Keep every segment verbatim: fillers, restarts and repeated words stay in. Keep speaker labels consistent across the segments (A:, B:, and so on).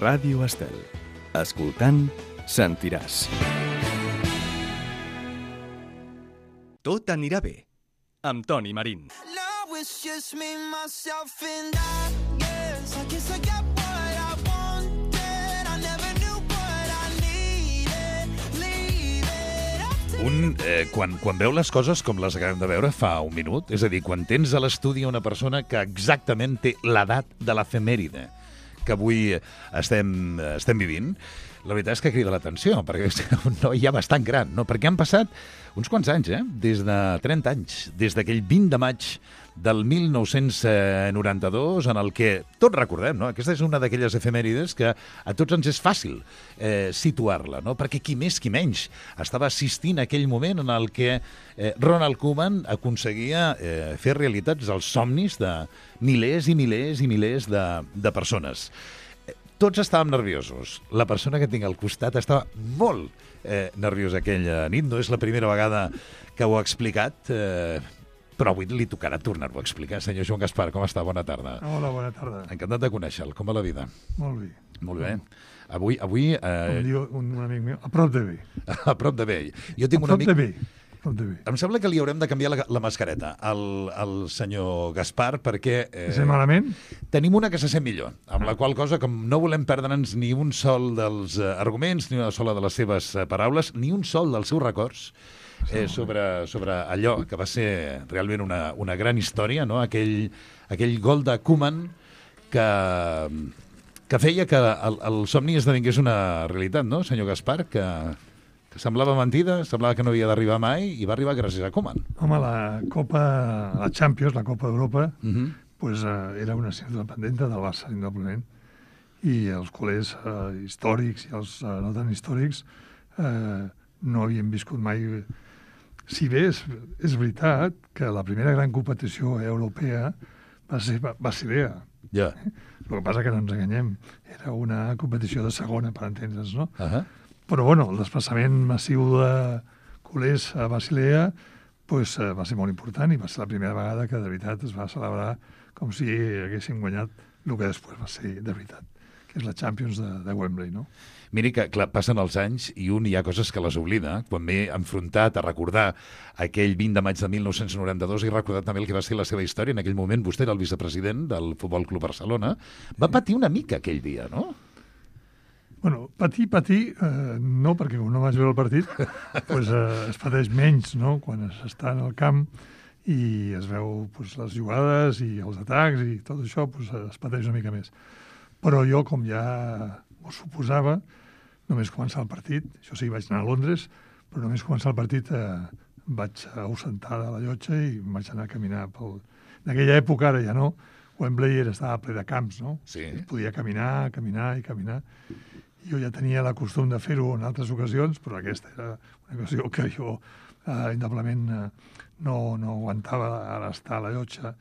A: Ràdio Estel. Escoltant, sentiràs. Tot anirà bé, amb Toni Marín.
B: Now it's just me, myself and I, yes, I guess I got what I wanted, I never knew what I needed, leave it.
C: Un, eh, quan, quan veu les coses com les acabem de veure fa un minut, és a dir, quan tens a l'estudi una persona que exactament té l'edat de l'efemèride que avui estem, estem vivint, la veritat és que crida l'atenció, perquè és un noi ja bastant gran, no? Perquè han passat uns quants anys, eh? Des de trenta anys, des d'aquell vint de maig del mil nou-cents noranta-dos, en el que tots recordem, no? Aquesta és una d'aquelles efemèrides que a tots ens és fàcil eh, situar-la, no? Perquè qui més, qui menys estava assistint a aquell moment en el que eh, Ronald Koeman aconseguia eh, fer realitats els somnis de milers i milers i milers de, de persones. Tots estàvem nerviosos. La persona que tinc al costat estava molt eh, nerviosa aquella nit. No és la primera vegada que ho ha explicat, eh, però avui li tocarà tornar-ho a explicar. Senyor Joan Gaspar, com està? Bona tarda.
D: Hola, bona tarda.
C: Encantat de conèixer-lo. Com va la vida?
D: Molt bé.
C: Molt bé. Avui... avui eh...
D: Com diu un, un amic meu, a prop de bé.
C: A prop de bé. Jo tinc
D: a
C: un
D: prop
C: amic...
D: de bé.
C: Em sembla que li haurem de canviar la, la mascareta al, al senyor Gaspar perquè...
D: Eh, és malament?
C: Tenim una que se sent millor, amb ah. la qual cosa, com no volem perdre'ns ni un sol dels uh, arguments, ni una sola de les seves uh, paraules, ni un sol dels seus records eh, sobre, sobre allò que va ser realment una, una gran història, no? aquell, aquell gol de Koeman que, que feia que el, el somni esdevingués una realitat, no, senyor Gaspar? Que... Semblava mentida, semblava que no havia d'arribar mai i va arribar gràcies a Koeman.
D: Home, la Copa, la Champions, la Copa d'Europa, uh -huh. pues, uh, era una assignatura pendenta del Barça, indoblement. I els culers uh, històrics i els uh, no tan històrics uh, no havien viscut mai... Si bé és, és veritat que la primera gran competició europea va ser Basilea.
C: Ja. Yeah.
D: El que passa que no ens enganyem. Era una competició de segona, per entendre's, no?
C: Uh -huh.
D: Però, bueno, el desplaçament massiu de culers a Basilea pues, va ser molt important i va ser la primera vegada que, de veritat, es va celebrar com si haguessin guanyat el que després va ser de veritat, que és la Champions de, de Wembley, no?
C: Miri que, clar, passen els anys i un hi ha coses que les oblida. Quan m'he enfrontat a recordar aquell vint de maig de mil nou-cents noranta-dos i recordat també el que va ser la seva història, en aquell moment vostè era el vicepresident del Futbol Club Barcelona, va patir una mica aquell dia, no?
D: Bueno, patir, patir, eh, no, perquè com no vaig veure el partit, pues, eh, es pateix menys, no?, quan s'està en el camp i es veu pues, les jugades i els atacs i tot això, pues, es pateix una mica més. Però jo, com ja ho suposava, només començar el partit, això sí, vaig anar a Londres, però només començar el partit eh, vaig ausentar de la llotja i vaig anar a caminar pel... En aquella època, ara ja no, Wembley era, estava ple de camps, no?
C: Sí.
D: Es podia caminar, caminar i caminar. Jo ja tenia la costum de fer-ho en altres ocasions, però aquesta era una ocasió que jo eh, indoblement eh, no, no aguantava ara estar a la llotja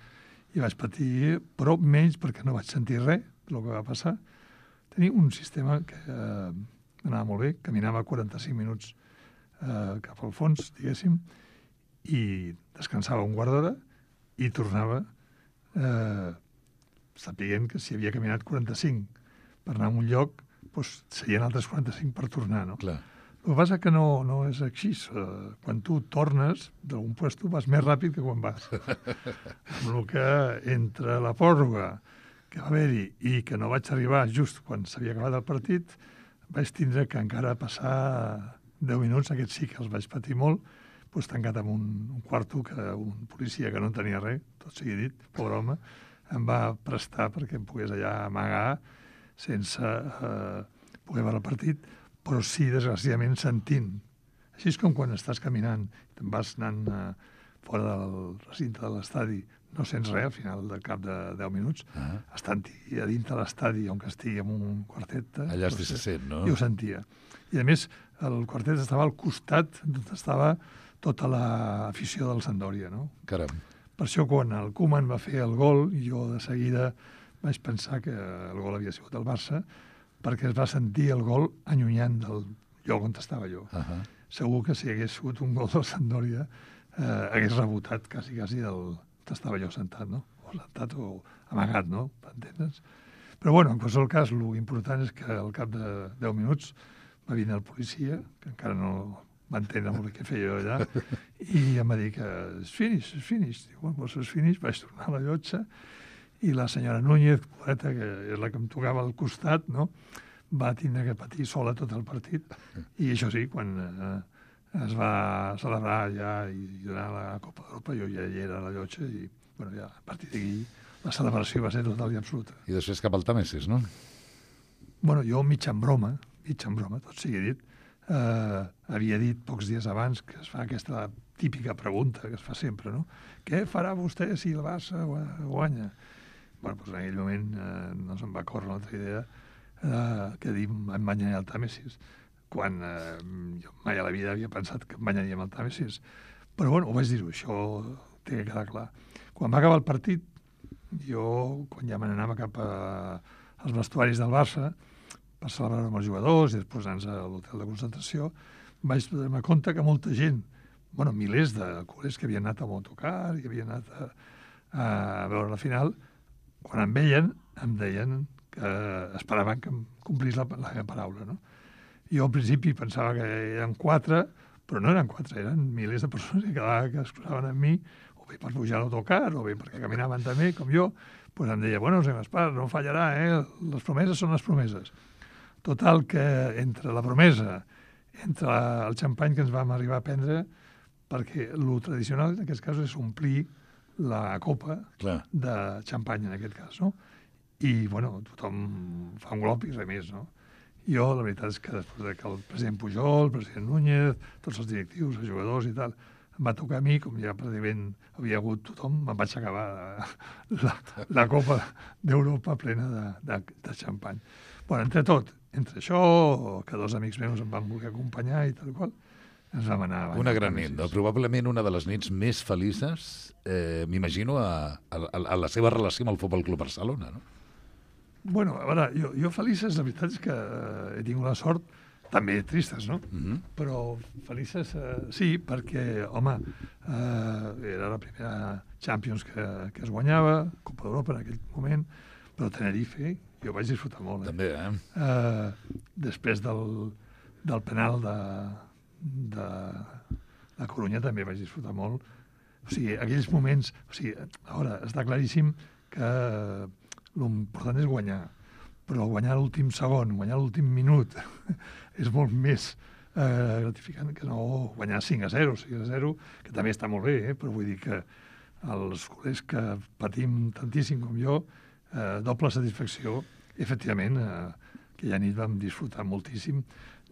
D: i vaig patir, però menys perquè no vaig sentir res del que va passar. Tenia un sistema que eh, anava molt bé, caminava quaranta-cinc minuts eh, cap al fons, diguéssim, i descansava un quart d'hora i tornava eh, sapient que si havia caminat quaranta-cinc per anar a un lloc, doncs seien altres quaranta-cinc per tornar, no?
C: Clar.
D: El que passa que no, no és així. Uh, quan tu tornes d'algun lloc vas més ràpid que quan vas. Amb el que entre la pròrroga que va haver-hi i que no vaig arribar just quan s'havia acabat el partit, vaig tindre que encara passar deu minuts, aquests sí que els vaig patir molt, doncs tancat en un, un quarto que un policia que no en tenia res, tot sigui dit, pobre home, em va prestar perquè em pogués allà amagar sense eh, poder veure el partit, però sí, desgraciadament, sentint. Així és com quan estàs caminant, te'n vas anant eh, fora del recinte de l'estadi, no sents res al final del cap de deu minuts, uh-huh. estant-hi a dintre l'estadi, on que estigui en un quartet... Eh,
C: allà doncs, se sent, no?
D: I ho sentia. I, a més, el quartet estava al costat d'on estava tota l'afició del Sampdoria, no?
C: Caram.
D: Per això, quan el Koeman va fer el gol, jo de seguida vaig pensar que el gol havia sigut el Barça, perquè es va sentir el gol allunyant del lloc on estava jo. Uh-huh. Segur que si hagués sigut un gol del Sampdoria, eh, hagués rebotat quasi, quasi del on estava jo sentat, no? O sentat o amagat, no? M'entens? Però, bueno, en qualsevol cas, l'important és que al cap de deu minuts va vindre el policia, que encara no va entendre molt què feia jo allà, i em va dir que és finish, és finish. Diu, bueno, doncs és finish, vaig tornar a la llotja, i la senyora Núñez, poeta, que és la que em tocava al costat, no?, va tindre que patir sola tot el partit. I això sí, quan eh, es va celebrar ja i donar la Copa d'Europa, jo ja hi era a la llotja i, bueno, ja a partir d'aquí la celebració va ser total i absoluta.
C: I després cap al Tàmesis, no?
D: Bueno, jo mig en broma, mig en broma, tot sigui dit, eh, havia dit pocs dies abans que es fa aquesta típica pregunta que es fa sempre, no? Què farà vostè si el Barça guanya? Bueno, doncs en aquell moment eh, no se'm va córrer una altra idea eh, que dir em banyaria al Tàmesis, quan eh, jo mai a la vida havia pensat que em banyaríem al Tàmesis. Però bueno, ho vaig dir-ho, això té que quedar clar. Quan va acabar el partit, jo, quan ja me n'anava cap a, als vestuaris del Barça, per celebrar amb els jugadors i després anar a l'hotel de concentració, vaig donar-me compte que molta gent, bueno, milers de col·legs que havien anat a autocar i havien anat a, a veure la final, quan em veien, em deien que esperaven que em complís la, la meva paraula, no? Jo al principi pensava que eren quatre, però no eren quatre, eren milers de persones que quedaven, que es cruzaven amb mi, o bé per pujar a l'autocar, o bé perquè caminaven també, com jo, doncs em deia, bueno, senyor Gaspar, no fallarà, eh? Les promeses són les promeses. Total, que entre la promesa, entre el xampany que ens vam arribar a prendre, perquè el tradicional en aquest cas és omplir la copa
C: Clar.
D: de xampany, en aquest cas, no? I, bueno, tothom fa un glop i res més, no? Jo, la veritat és que després de que el president Pujol, el president Núñez, tots els directius, els jugadors i tal, em va tocar a mi, com ja pràcticament havia hagut tothom, me'n vaig acabar la, la Copa d'Europa plena de, de, de xampany. Bueno, entre tot, entre això, que dos amics meus em van voler acompanyar i tal qual, ens vam anar...
C: Una gran nit, no? Probablement una de les nits més felices, eh, m'imagino, a, a, a la seva relació amb el Futbol Club Barcelona, no?
D: Bueno, a veure, jo, jo felices, la veritat és que eh, he tingut la sort, també tristes, no?
C: Mm -hmm.
D: Però felices, eh, sí, perquè, home, eh, era la primera Champions que, que es guanyava, Copa d'Europa en aquell moment, però Tenerife, jo vaig disfrutar molt. Eh?
C: També, eh?
D: Eh, després del, del penal de, de la Corunya també vaig disfrutar molt. O sigui, aquells moments... O sigui, ara, està claríssim que l'important és guanyar, però guanyar l'últim segon, guanyar l'últim minut és molt més eh, gratificant que no guanyar cinc a zero, sis a zero, que també està molt bé, eh? Però vull dir que els culers que patim tantíssim com jo, eh, doble satisfacció, efectivament, eh, aquella nit vam disfrutar moltíssim.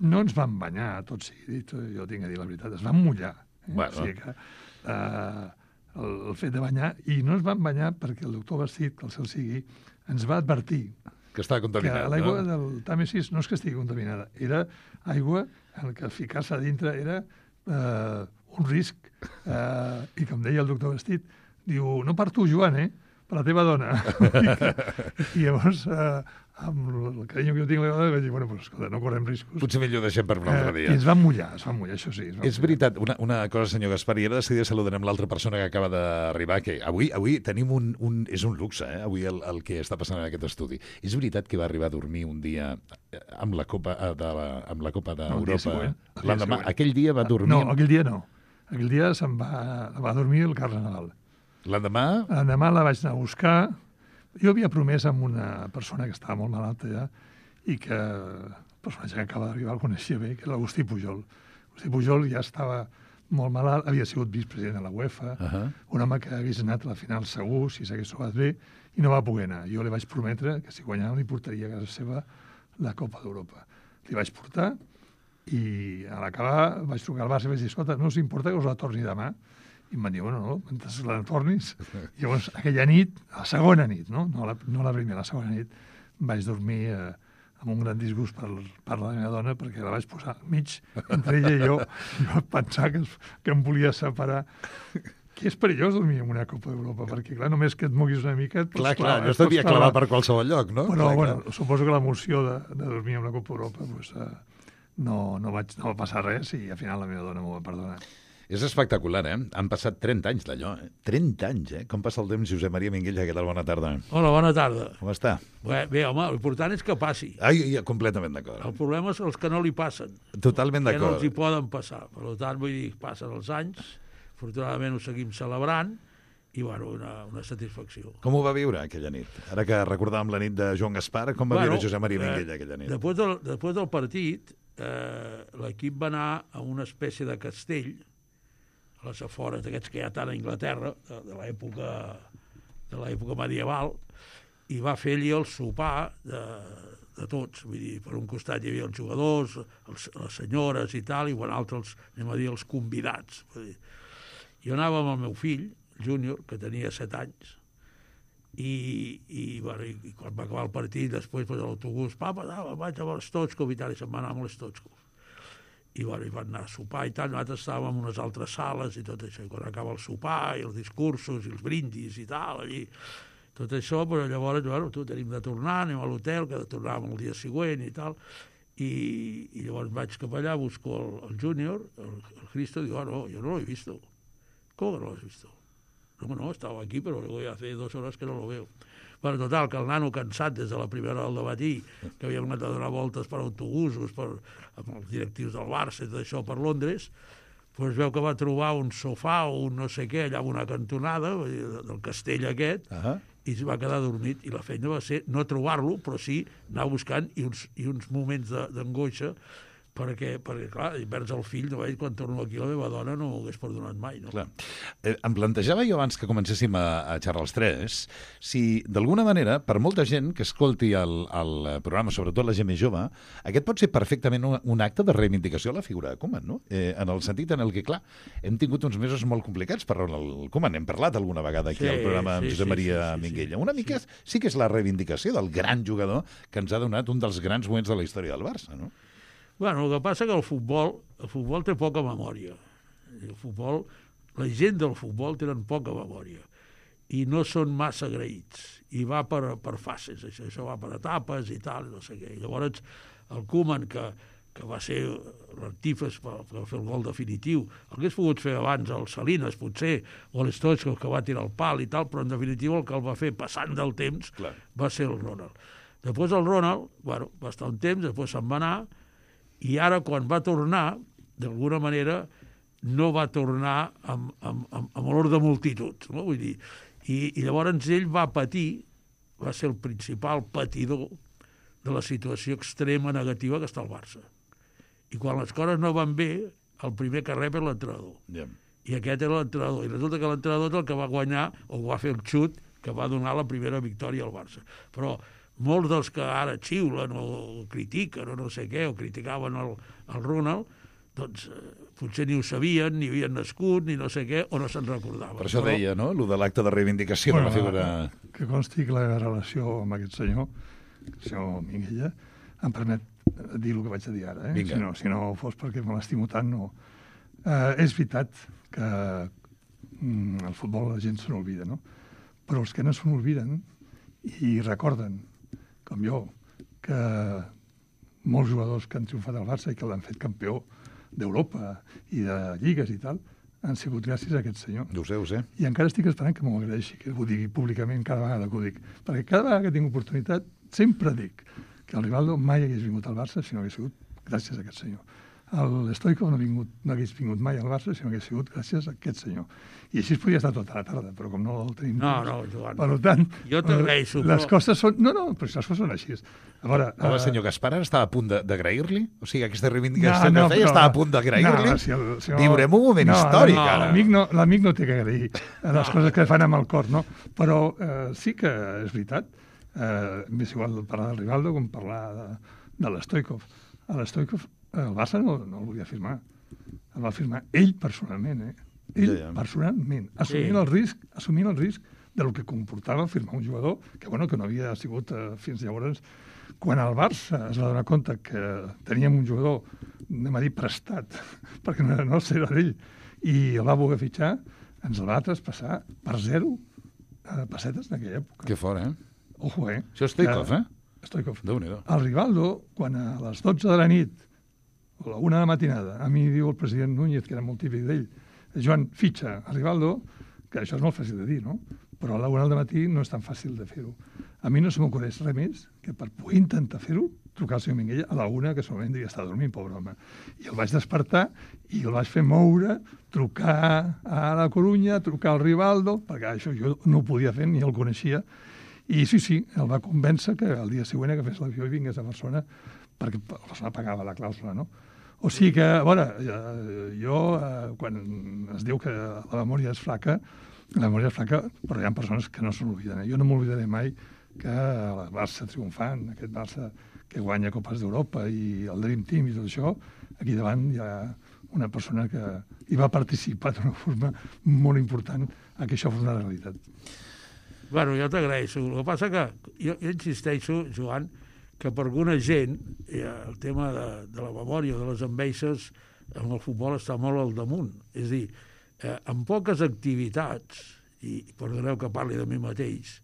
D: No ens vam banyar, tot sigui dit, jo tinc a dir la veritat, es van mullar. Eh?
C: Bueno.
D: O sigui que eh, el, el fet de banyar, i no ens van banyar perquè el doctor Bastit, que el cel sigui, ens va advertir
C: que està contaminat,
D: que l'aigua
C: no?
D: del Tàmesis no és que estigui contaminada, era aigua en què ficar-se a dintre era eh, un risc. Eh, I com deia el doctor Bastit, diu, no per tu, Joan, eh? Per la teva dona. I, I llavors, eh, amb el carinyo que jo tinc a la dona, vaig dir, bueno, pues, escolta, no correm riscos.
C: Potser millor deixem per un altre
D: Eh,
C: dia.
D: I ens van mullar, es van mullar, això sí. Es van
C: És
D: mullar.
C: veritat, una, una cosa, senyor Gaspar, i ara de seguida saludarem l'altra persona que acaba d'arribar, que avui avui tenim un... un és un luxe, eh? Avui el, el que està passant en aquest estudi. És veritat que va arribar a dormir un dia amb la Copa eh, de la, amb la Copa
D: No, el dia
C: d'Europa?
D: següent, el dia
C: L'endemà,
D: següent.
C: aquell dia va dormir...
D: No, aquell dia no. Aquell dia se'n va, va dormir el Carles Nadal.
C: L'endemà...
D: L'endemà la vaig anar a buscar. Jo havia promès amb una persona que estava molt malalta ja i que el personatge que acaba d'arribar el coneixia bé, que era l'Agustí Pujol. Agustí Pujol ja estava molt malalt, havia sigut vicepresident de la UEFA,
C: Uh -huh.
D: un home que hagués anat a la final segur, si s'hagués trobat bé, i no va poder anar. Jo li vaig prometre que si guanyava li portaria a casa seva la Copa d'Europa. Li vaig portar i a l'acabar vaig trucar al Barça i vaig dir, escolta, no us importa que us la torni demà? I em van dir, bueno, no, mentre la tornis. Llavors, aquella nit, la segona nit, no, no, la, no la primera, la segona nit, vaig dormir eh, amb un gran disgust per, per la meva dona, perquè la vaig posar al mig entre ella i jo, i vaig pensar que, es- que em volia separar. Que és perillós dormir en una Copa d'Europa, perquè, clar, només que et moguis una mica... et pots
C: Clar, clar,
D: clavar-
C: no
D: et pots
C: estaria
D: clavar.
C: clavar per qualsevol lloc, no?
D: Però,
C: clar,
D: bueno,
C: clar.
D: suposo que l'emoció de, de dormir en la Copa d'Europa pues, eh, no, no, vaig, no va passar res i al final la meva dona m'ho va perdonar.
C: És espectacular, eh? Han passat trenta anys d'allò, eh? trenta anys, eh? Com passa el temps, Josep Maria Minguella? Què tal? Bona tarda.
E: Hola, bona tarda.
C: Com està?
E: Bé, bé home, l'important és que passi.
C: Ai, ja, completament d'acord.
E: El problema són els que no li passen.
C: Totalment
E: Que no
C: d'acord.
E: els hi poden passar. Per tant, vull dir, passen els anys, afortunadament ho seguim celebrant, i, bueno, una, una satisfacció.
C: Com ho va viure aquella nit? Ara que recordàvem la nit de Joan Gaspar, com va
E: Bueno,
C: viure Josep Maria
E: eh,
C: Minguella aquella nit?
E: Després del, després del partit, eh, l'equip va anar a una espècie de castell, a les afores d'aquests que hi ha tant a Anglaterra, de, de l'època de l'època medieval, i va fer allí el sopar de, de tots. Vull dir, per un costat hi havia els jugadors, els, les senyores i tal, i per l'altre els, anem a dir, els convidats. Vull dir. Jo anava amb el meu fill, júnior, que tenia set anys, i, i, bueno, i, i quan va acabar el partit, després pues, l'autobús, papa, no, vaig amb l'Stochkov i tal, i se'n va anar amb l'Stochkov. I, bueno, i van anar a sopar i tal, nosaltres estàvem en unes altres sales i tot això, i quan acaba el sopar i els discursos i els brindis i tal, allí, tot això, però llavors, bueno, tu tenim de tornar, anem a l'hotel, que de tornàvem el dia següent i tal, i, i llavors vaig cap allà, busco el, el júnior, el, el Cristo, i diu, ah, no, jo no l'he vist. Com que no l'has vist? No, no, estava aquí, però luego ya hace dos horas que no lo veo. Bueno, total, que el nano cansat des de la primera hora del matí, que havíem anat a donar voltes per autobusos, per, amb els directius del Barça i tot això per Londres, doncs veu que va trobar un sofà o un no sé què allà en una cantonada del castell aquest,
C: Ah,
E: i es va quedar dormit. I la feina va ser no trobar-lo, però sí anar buscant i uns, i uns moments de- d'angoixa, perquè, perquè, clar, i perds el fill, no? Quan torno aquí la meva dona no ho hagués perdonat mai, no?
C: clar. Eh, em plantejava jo abans que comencéssim a, a xerrar els tres si d'alguna manera, per molta gent que escolti el, el programa, sobretot la gent més jove, aquest pot ser perfectament un, un acte de reivindicació a la figura de Koeman, no? Eh, en el sentit en el que, clar, hem tingut uns mesos molt complicats per el Koeman. Hem parlat alguna vegada aquí
E: Sí,
C: al programa amb
E: sí,
C: Josep
E: sí,
C: Maria
E: sí, sí, sí.
C: Minguella. Una mica sí. sí que és la reivindicació del gran jugador que ens ha donat un dels grans moments de la història del Barça, no?
E: Bueno, el que passa que el futbol, el futbol té poca memòria. El futbol, la gent del futbol tenen poca memòria i no són massa agraïts. I va per, per fases, això, això va per etapes i tal, no sé què. I llavors el Koeman, que, que va ser l'artífex per, per fer el gol definitiu, el hagués pogut fer abans el Salinas, potser, o l'Stochkov, que va tirar el pal i tal, però en definitiva el que el va fer passant del temps
C: Clar.
E: va ser el Ronald. Després el Ronald, bueno, va estar un temps, després se'n va anar, i ara, quan va tornar, d'alguna manera, no va tornar amb, amb, amb, amb olor de multitud, no? Vull dir, i, i llavors ell va patir, va ser el principal patidor de la situació extrema negativa que està al Barça. I quan les coses no van bé, el primer que rep és l'entrenador.
C: Ja.
E: I aquest era l'entrenador. I resulta que l'entrenador és el que va guanyar, o va fer el xut, que va donar la primera victòria al Barça. Però molts dels que ara xiulen o critiquen o no sé què, o criticaven el, el Ronald, doncs eh, potser ni ho sabien, ni havien nascut, ni no sé què, o no se'n recordaven.
C: Per això
E: Però,
C: deia, no?, lo de l'acte de reivindicació de la figura...
D: Que consti que la relació amb aquest senyor, el senyor Minguella, em permet dir el que vaig a dir ara. Eh?
C: Vinga.
D: Si, no, si no fos perquè me l'estimo tant, no. Eh, és veritat que mm, el futbol la gent se n'olvida, no? Però els que no se n'olviden i recorden, com jo, que molts jugadors que han triomfat al Barça i que l'han fet campió d'Europa i de lligues i tal, han sigut gràcies a aquest senyor.
C: Ho sé, ho sé.
D: I encara estic esperant que m'ho agraeixi, que ho digui públicament cada vegada que ho dic. Perquè cada vegada que tinc oportunitat sempre dic que el Rivaldo mai hagués vingut al Barça si no hagués sigut gràcies a aquest senyor. El Stoichkov no, vingut, no hagués vingut mai al Barça si no hagués sigut gràcies a aquest senyor. I així es podria estar tota la tarda, però com no el tenim...
E: No,
D: temps,
E: no, Joan.
D: Per tant,
E: Jo t'agraeixo,
D: les
E: però-
D: coses són... No, no, però les coses són així. A veure...
C: Home,
D: eh,
C: senyor Gaspar ara estava a punt de- d'agrair-li? O sigui, aquesta reivindicació
D: no, no,
C: que feia
D: però-
C: estava a punt d'agrair-li?
D: No, si el senyor-
C: Viurem un moment
D: no,
C: històric,
D: no,
C: ara.
D: L'amic no, l'amic no té que agrair les coses que fan amb el cor, no? Però eh, sí que és veritat. Eh, M'és igual parlar del Rivaldo com parlar de, de l'Stoichkov. A l'Stoichkov el Barça no, no el volia firmar. El va firmar ell personalment, eh? Ell
C: Ja, ja.
D: personalment, assumint
E: Sí.
D: el risc, assumint el risc del que comportava firmar un jugador que, bueno, que no havia sigut eh, fins llavors. Quan el Barça es va donar compte que teníem un jugador, anem a dir, prestat, perquè no era nostre, era d'ell, i el va voler fitxar, ens el va traspassar per zero eh, pessetes en aquella època.
C: Que fort, eh?
D: Ojo, eh?
C: Això és Stoichkov,
D: Que-
C: eh?
D: Stoichkov.
C: Déu-n'hi-do.
D: El Rivaldo, quan a les dotze de la nit, o a la una de la matinada, a mi diu el president Núñez, que era molt típic d'ell, Joan, fitxa a Rivaldo, que això és molt fàcil de dir, no? Però a la una del matí no és tan fàcil de fer-ho. A mi no se m'ocorreix res més que per poder intentar fer-ho, trucar al senyor Minguella a la una, que segurament devia estar dormint, pobre home. I el vaig despertar i el vaig fer moure, trucar a la Corunya, trucar al Rivaldo, perquè això jo no ho podia fer, ni el coneixia. I sí, sí, el va convèncer que el dia següent que fes l'avió i vingués a Barcelona, perquè Barcelona pagava la clàusula, no? O sigui que, a veure, jo, quan es diu que la memòria és flaca, la memòria és flaca, però hi ha persones que no se n'obliden. Eh? Jo no m'oblidaré mai que el Barça triomfant, aquest Barça que guanya Copes d'Europa i el Dream Team i tot això, aquí davant hi ha una persona que hi va participar d'una forma molt important a que això fos una realitat.
E: Bueno, jo t'agraeixo. El que passa que jo, jo insisteixo, Joan, que per alguna gent el tema de, de la memòria, de les enveixes, en el futbol està molt al damunt. És a dir, eh, en poques activitats, i perdoneu que parli de mi mateix,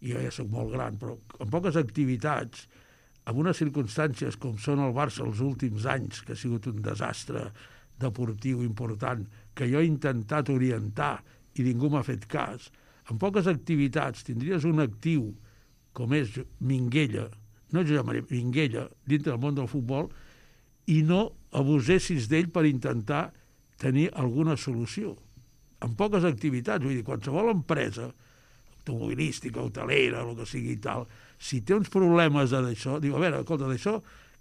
E: i jo ja soc molt gran, però en poques activitats, en unes circumstàncies com són el Barça els últims anys, que ha sigut un desastre deportiu important, que jo he intentat orientar i ningú m'ha fet cas, en poques activitats tindries un actiu com és Minguella, no Josep Maria, Minguella, dintre del món del futbol, i no abusessis d'ell per intentar tenir alguna solució. En poques activitats, vull dir, qualsevol empresa, automobilística, hotelera, el que sigui i tal, si té uns problemes d'això, diu, a veure, escolta, d'això,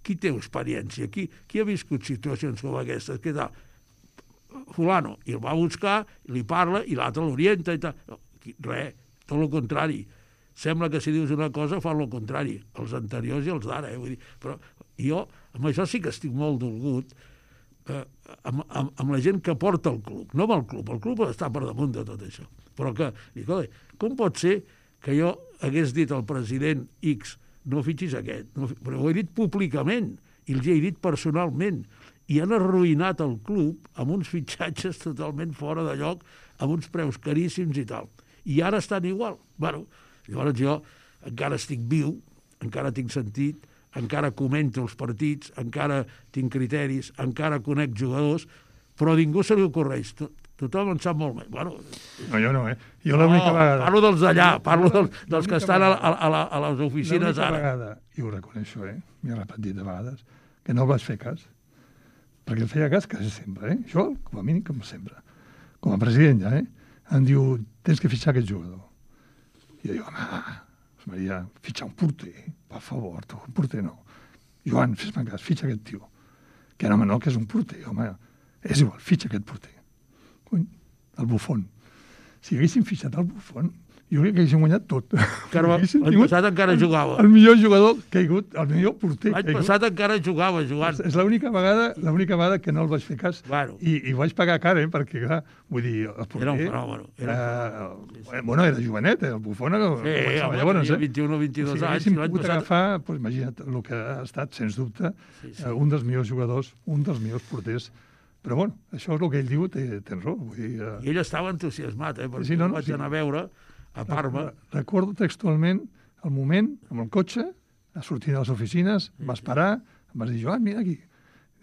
E: qui té experiència? Qui, qui ha viscut situacions com aquestes? Què tal? Fulano. I el va buscar, li parla, i l'altre l'orienta i tal. No, res, tot el contrari. Sembla que si dius una cosa fan el contrari, els anteriors i els d'ara. Eh? Vull dir, però jo, amb això sí que estic molt dolgut, eh, amb, amb, amb la gent que porta el club, no amb el club. El club està per damunt de tot això. Però que, dic, com pot ser que jo hagués dit al president X no fitxis aquest? No, però ho he dit públicament i els he dit personalment. I han arruïnat el club amb uns fitxatges totalment fora de lloc, amb uns preus caríssims i tal. I ara estan igual. Bueno, llavors jo encara estic viu, encara tinc sentit, encara comento els partits, encara tinc criteris, encara conec jugadors, però a ningú se li ocorreix. Tothom en sap molt més. Bueno,
D: no, jo no, eh? Jo l'única
E: no,
D: vegada...
E: Parlo dels d'allà, parlo dels, dels que estan a, a, a, a les oficines ara.
D: L'única vegada, i ho reconeixo, eh? M'he repetit de vegades, que no el vaig fer cas. Perquè el feia cas quasi sempre, eh? Jo, com a mínim, com sempre. Com a president ja, eh? Em diu, tens que fitxar aquest jugador. I jo dic, home, Maria, fitxar un porter, per favor, tu, un porter no. Joan, fes-me cas, fitxa aquest tio. Que no, home, no, que és un porter, home. És igual, fitxa aquest porter. Cony, el Buffon. Si haguéssim fitxat el Buffon, jo crec que haguéssim guanyat tot.
E: L'any passat encara jugava.
D: El millor jugador que hi ha hagut, el millor porter que hi ha hagut.
E: L'any passat encara jugava, Joan.
D: És l'única vegada, l'única vegada que no el vaig fer cas.
E: Bueno.
D: I, i vaig pagar cara, eh, perquè, clar, vull dir, el porter...
E: Era un fenòmeno. Era,
D: era, eh, bueno, era jovenet, eh, el Buffon.
E: Sí, home, llavors, tenia vint-i-un o vint-i-dos
D: anys. Si haguéssim pogut passat... agafar, doncs, imagina't, el que ha estat, sens dubte, sí, sí. Eh, un dels millors jugadors, un dels millors porters. Però, bueno, això és el que ell diu, té, tens raó. Vull dir, uh...
E: I ell estava entusiasmat, eh, perquè
D: sí, no, no,
E: vaig
D: sí.
E: anar a veure a Parma.
D: Recordo textualment el moment, amb el cotxe, sortint de les oficines, sí, va esperar, em vas dir, Joan, mira aquí.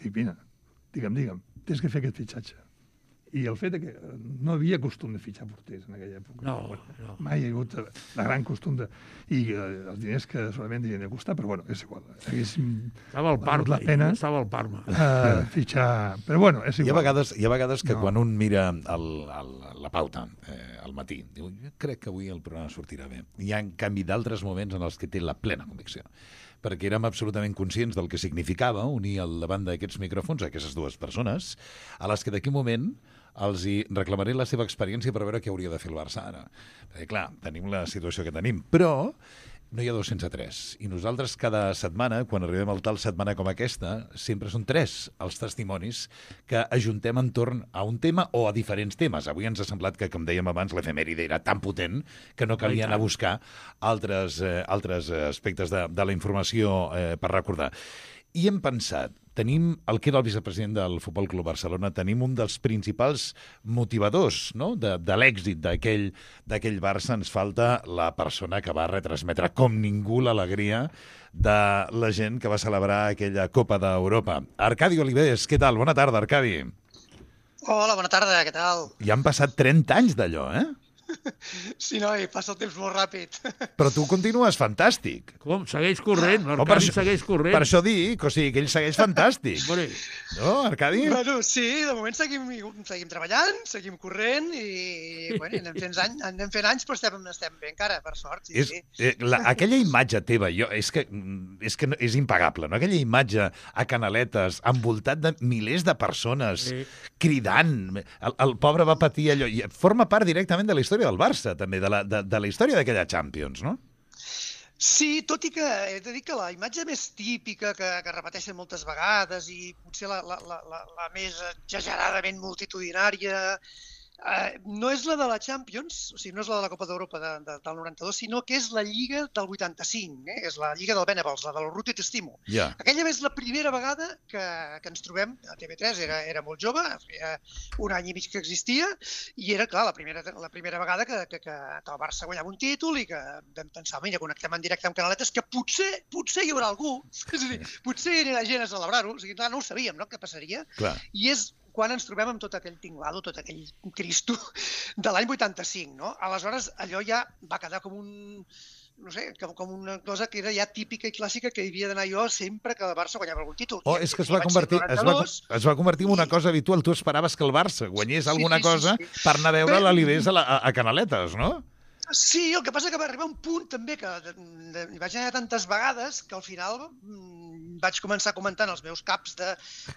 D: Dic, mira, digue'm, digue'm, tens que fer aquest fitxatge. I el fet que no havia costum de fitxar porters en aquella època.
E: No,
D: bueno,
E: no.
D: Mai hi ha hagut la gran costum de... I eh, els diners que solament havien de costar, però bueno, és igual. Haguéssim
E: estava al Parma,
D: la pena,
E: estava al Parma.
D: Uh, fitxar... Però bueno, és igual.
C: Hi ha vegades, hi ha vegades que
D: no.
C: quan un mira el, el, la pauta eh, al matí, diu, jo crec que avui el programa sortirà bé. Hi ha, en canvi, d'altres moments en els que té la plena convicció, perquè érem absolutament conscients del que significava unir al davant d'aquests micròfons a aquestes dues persones, a les que d'aquí un moment els hi reclamaré la seva experiència per veure què hauria de fer el Barça ara. Perquè, clar, tenim la situació que tenim, però no hi ha dos sense tres. I nosaltres cada setmana, quan arribem al tal setmana com aquesta, sempre són tres els testimonis que ajuntem entorn a un tema o a diferents temes. Avui ens ha semblat que, com dèiem abans, l'efemèride era tan potent que no calia anar a buscar altres, eh, altres aspectes de, de la informació eh, per recordar. I hem pensat, tenim el que era el vicepresident del Futbol Club Barcelona, tenim un dels principals motivadors, no?, de, de l'èxit d'aquell d'aquell Barça. Ens falta la persona que va retransmetre com ningú l'alegria de la gent que va celebrar aquella Copa d'Europa. Arcadi Oliveres, què tal? Bona tarda, Arcadi.
F: Hola, bona tarda, què tal?
C: Ja han passat trenta anys d'allò, eh?
F: Sí, noi, passa el temps molt ràpid.
C: Però tu continues fantàstic.
E: Com? Segueix corrent,
C: Oh, per
E: l'Arcadi
C: això-
E: segueix corrent.
C: Per això dic, o sigui, que ell segueix fantàstic.
E: Hombre,
C: No, Arcadi?
F: Bueno, sí, de moment seguim, seguim treballant, seguim corrent i bueno, anem fent anys, anem fent anys però estem, estem bé encara, per sort. Sí,
C: És,
F: sí.
C: eh, la, aquella imatge teva, jo, és que, és que no- és impagable, no? Aquella imatge a Canaletes, envoltat de milers de persones,
E: Sí.
C: cridant. El, el pobre va patir allò. I forma part directament de la història del Barça, també, de la, de, de la història d'aquella Champions, no?
F: Sí, tot i que he de dir que la imatge més típica, que, que repeteixen moltes vegades i potser la, la, la, la, la més exageradament multitudinària, eh, no és la de la Champions, o sigui, no és la de la Copa d'Europa de, de, del noranta-dos, sinó que és la Lliga del vuitanta-cinc, eh? És la Lliga del Venables, la del Ruti T'estimo.
C: Ja.
F: Aquella és la primera vegada que, que ens trobem a T V tres, era, era molt jove, feia un any i mig que existia, i era, clar, la primera, la primera vegada que, que, que, que el Barça guanyava un títol i que vam pensar, mira, connectem en directe amb Canaletes, que potser, potser hi haurà algú, és a dir, potser hi anirà gent a celebrar-ho, o sigui, clar, no ho sabíem, no?, què passaria,
C: Clar.
F: i és quan ens trobem amb tot aquell tinglado, tot aquell Cristo de l'any vuitanta-cinc, no? Aleshores, allò ja va quedar com un, no sé, com, com una cosa que era ja típica i clàssica que hi havia d'anar jo sempre que el Barça guanyava algun títol.
C: Oh,
F: I-
C: és que es
F: i
C: va,
F: vaig ser
C: convertir,
F: el
C: es, va,
F: noranta-dos.
C: es va convertir en una
F: i-
C: cosa habitual. Tu esperaves que el Barça guanyés
F: Sí,
C: alguna
F: sí, sí,
C: cosa
F: sí.
C: per anar a veure
F: Però-
C: l'Alibés a, la, a, a Canaletes, no?
F: Sí, el que passa que va arribar un punt també que de, de, hi vaig anar tantes vegades que al final mm, vaig començar comentant els meus caps de,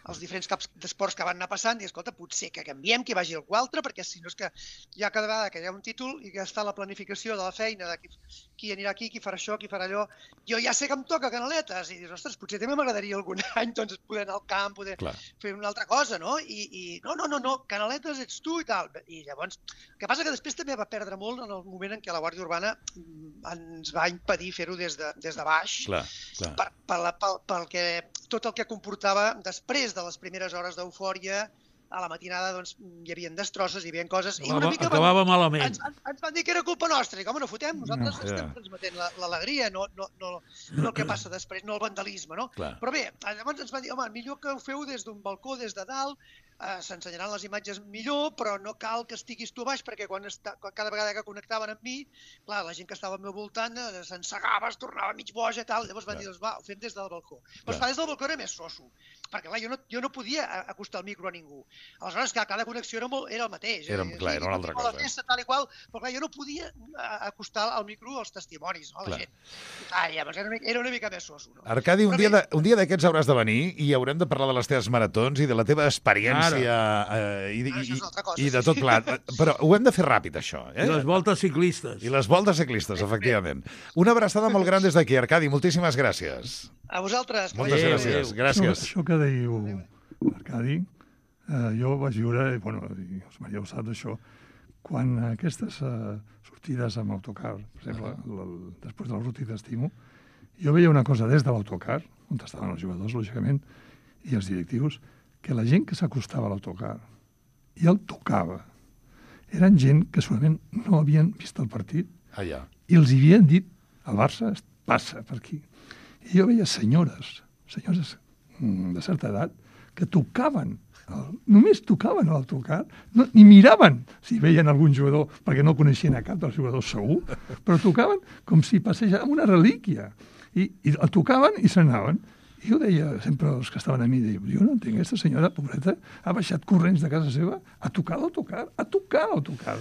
F: els diferents caps d'esports que van anar passant i escolta, potser que canviem, que hi vagi algú altre, perquè si no és que ja cada vegada que hi ha un títol i que està la planificació de la feina de qui, qui anirà aquí, qui farà això, qui farà allò, jo ja sé que em toca Canaletes i dius, ostres, potser també m'agradaria algun any doncs, poder anar al camp, poder
C: Clar.
F: fer una altra cosa, no? I, i no, no, no, no, Canaletes ets tu i tal. I llavors, el que passa que després també va perdre molt en el moment en què la Guàrdia Urbana mm, ens va impedir fer-ho des, de, des de baix,
C: Clar, clar.
F: per, per la, pel, pel que, tot el que comportava després de les primeres hores d'eufòria, a la matinada doncs, hi havia destrosses, hi havia coses... i una
E: acabava,
F: mica
E: acabava
F: van,
E: malament.
F: ens, ens, ens van dir que era culpa nostra. I com no fotem, nosaltres
C: No,
F: estem
C: ja.
F: transmetent la- l'alegria, no, no, no, no el que passa després, no el vandalisme, no?
C: Clar.
F: Però bé, llavors ens van dir, home, millor que ho feu des d'un balcó, des de dalt, eh, s'ensenyaran les imatges millor, però no cal que estiguis tu a baix, perquè quan, està, quan cada vegada que connectaven amb mi, clar, la gent que estava al meu voltant eh, s'ensegava, es tornava mig boja i tal, llavors van
C: Clar.
F: dir, doncs va, ho fem des del balcó. Però
C: Clar.
F: esclar, des del balcó era més soso, perquè clar, jo no, jo no podia a- acostar el micro a ningú. Aleshores, clar, cada connexió era, molt, era el mateix.
C: Era-
F: eh,
C: clar,
F: sí,
C: era una altra
F: continua
C: cosa.
F: La festa, tal i qual, però clar, jo no podia eh, acostar al micro als testimonis, no, a
C: Clar.
F: la gent. Ah, llavors era una, mica- era una mica més soso. No?
C: Arcadi, un
F: Però
C: dia,
F: bé,
C: de, un dia d'aquests hauràs de venir i haurem de parlar de les teves maratons i de la teva experiència eh, i,
F: Ah,
C: i,
F: això és una altra cosa,
C: i de
F: sí.
C: tot plat. Però ho hem de fer ràpid, això. Eh?
E: I les voltes ciclistes.
C: I les voltes ciclistes, efectivament. Una abraçada molt gran des d'aquí, Arcadi. Moltíssimes gràcies.
F: a vosaltres. que
C: Moltes
F: vagi bé.
C: gràcies.
D: Això,
C: Gràcies.
D: això que dèieu, Arcadi, eh, jo vaig viure, i, bueno, i els Maria ho sap d'això, quan aquestes eh, sortides amb autocar, per exemple, el, el, després del Ruti T'estimo, jo veia una cosa des de l'autocar, on estaven els jugadors, lògicament, i els directius, que la gent que s'acostava a l'autocar i el tocava eren gent que segurament no havien vist el partit
C: Ah, ja.
D: i els havien dit, el Barça es passa per aquí. I jo veia senyores, senyores mm, de certa edat, que tocaven, el, només tocaven l'autocar, no, ni miraven si veien algun jugador, perquè no coneixien a cap dels jugadors segur, però tocaven com si passés amb una relíquia. I, i el tocaven i se n'anaven. I jo deia sempre als que estaven a mi, deia, jo no entenc, aquesta senyora, pobreta, ha baixat corrents de casa seva a tocar l'autocar, a tocar l'autocar,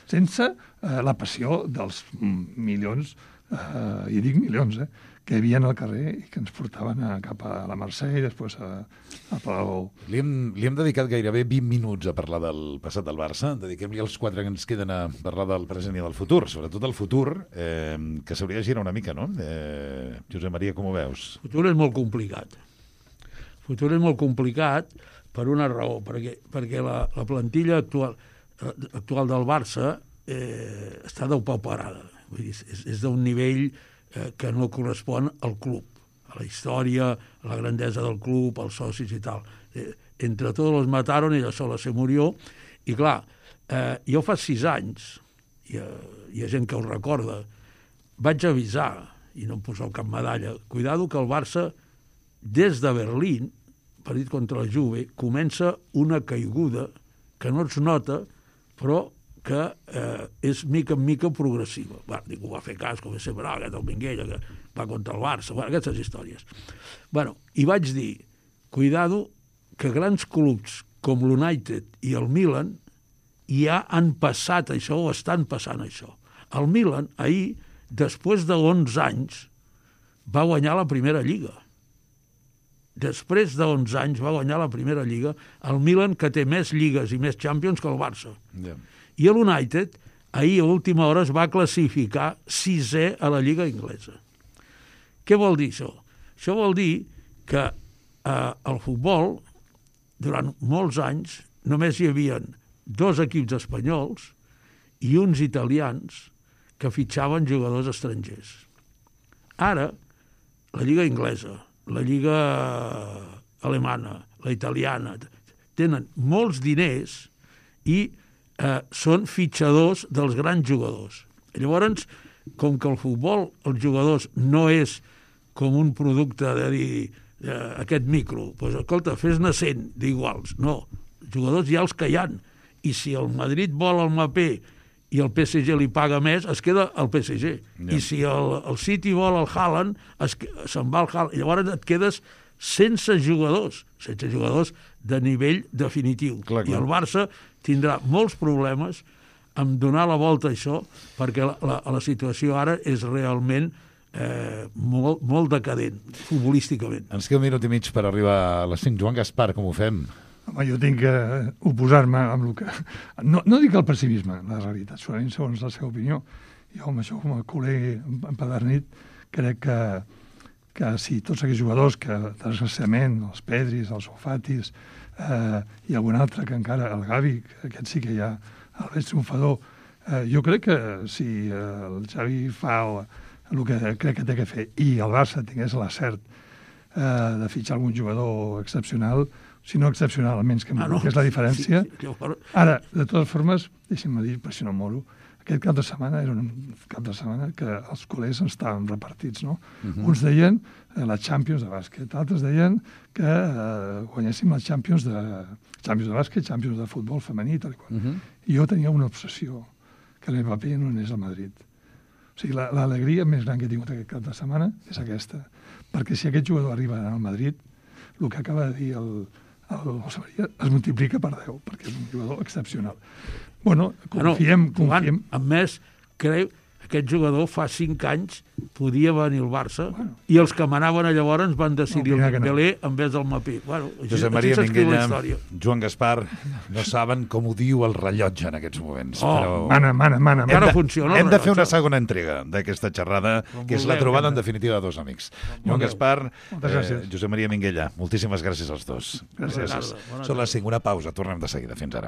D: sense eh, la passió dels mm, milions, eh, i dic milions, eh, que hi havia al carrer i que ens portaven a, cap a la Mercè i després a, a Palau.
C: Li hem, li hem dedicat gairebé vint minuts a parlar del passat del Barça. Dediquem-li els quatre que ens queden a parlar del present i del futur, sobretot del futur, eh, que s'hauria de girar una mica, no? Eh, Josep Maria, com ho veus?
E: El futur és molt complicat. El futur és molt complicat per una raó, perquè, perquè la, la plantilla actual, eh, actual del Barça eh, està depauperada. Vull dir, és, és d'un nivell eh, que no correspon al club, a la història, a la grandesa del club, als socis i tal. Eh, entre tots los mataron, ella sola se murió, i clar, eh, jo fa sis anys, hi ha, hi ha gent que ho recorda, vaig avisar, i no em poseu cap medalla, cuidado que el Barça, des de Berlín, partit contra la Juve, comença una caiguda que no es nota, però que eh, és mica en mica progressiva. Bueno, ningú va fer cas, com sempre, no, aquest el Minguella, que va contra el Barça, bueno, aquestes històries. Bueno, i vaig dir, cuidado, que grans clubs com l'United i el Milan ja han passat això, o estan passant això. El Milan, ahir, després de onze anys, va guanyar la primera lliga. Després de onze anys va guanyar la primera lliga el Milan, que té més lligues i més Champions que el Barça.
C: Yeah.
E: I l'United, ahir a última hora es va classificar sisè a la lliga inglesa. Què vol dir això? Això vol dir que eh, el futbol, durant molts anys, només hi havia dos equips espanyols i uns italians que fitxaven jugadors estrangers. Ara, la lliga inglesa, la lliga alemana, la italiana, tenen molts diners i eh, són fitxadors dels grans jugadors. Llavors, com que el futbol, els jugadors, no és com un producte de dir eh, aquest micro, doncs, escolta, fes-ne cent d'iguals. No, jugadors hi ha els que hi ha. I si el Madrid vol el Mbappé i el P S G li paga més, es queda el P S G. Yeah. I si el, el City vol el Haaland, es, se'n va el Haaland. I llavors et quedes sense jugadors, sense jugadors de nivell definitiu.
C: Clar, clar.
E: I el Barça tindrà molts problemes en donar la volta a això, perquè la, la, la situació ara és realment eh, molt, molt decadent, futbolísticament.
C: Ens queda un minut i mig per arribar a les cinc. Joan Gaspar, com ho fem?
D: Home, jo tinc que oposar-me amb el que... No, no dic el pessimisme, la realitat, segurament segons la seva opinió. Jo, amb això, com a culer empadernit, crec que, que si tots aquells jugadors que, desgraciadament, els Pedris, els Sofatis, eh, i algun altre que encara, el Gavi, que aquest sí que hi ha, el més triomfador, eh, jo crec que si eh, el Xavi fa el, el que crec que té que fer i el Barça tingués l'acert eh, de fitxar algun jugador excepcional, si no excepcional, almenys que, ah, no. que és la diferència. Sí, sí, llavors... Ara, de totes formes, deixi'm dir, per si no moro, aquest cap de setmana era un cap de setmana que els culers estaven repartits, no? Uh -huh. Uns deien eh, la Champions de bàsquet, altres deien que eh, guanyéssim la Champions de, Champions de bàsquet, Champions de futbol femení, tal i qual. Uh -huh. I jo tenia una obsessió, que l'Mbappé no anés al Madrid. O sigui, l'alegria més gran que he tingut aquest cap de setmana és aquesta. Perquè si aquest jugador arriba al Madrid, el que acaba de dir el el José María es multiplica per deu, perquè és un jugador excepcional. Bueno, confiem...
E: Bueno,
D: confiem.
E: A més, creu aquest jugador fa cinc anys podia venir al Barça, bueno, i els que manaven llavors van decidir no, el Dembélé no. en vez del Mapí. Bueno,
C: Josep Maria Minguella, Joan Gaspar, no saben com ho diu el rellotge en aquests moments.
E: Oh,
C: però
D: mana, mana, mana.
C: Hem, de,
E: funciona
C: hem de fer una segona entrega d'aquesta xerrada, que és la trobada, en definitiva, de dos amics. Joan Gaspar, eh, Josep Maria Minguella, moltíssimes gràcies als dos.
D: Gràcies.
C: Són les cinc, una pausa, tornem de seguida. Fins ara.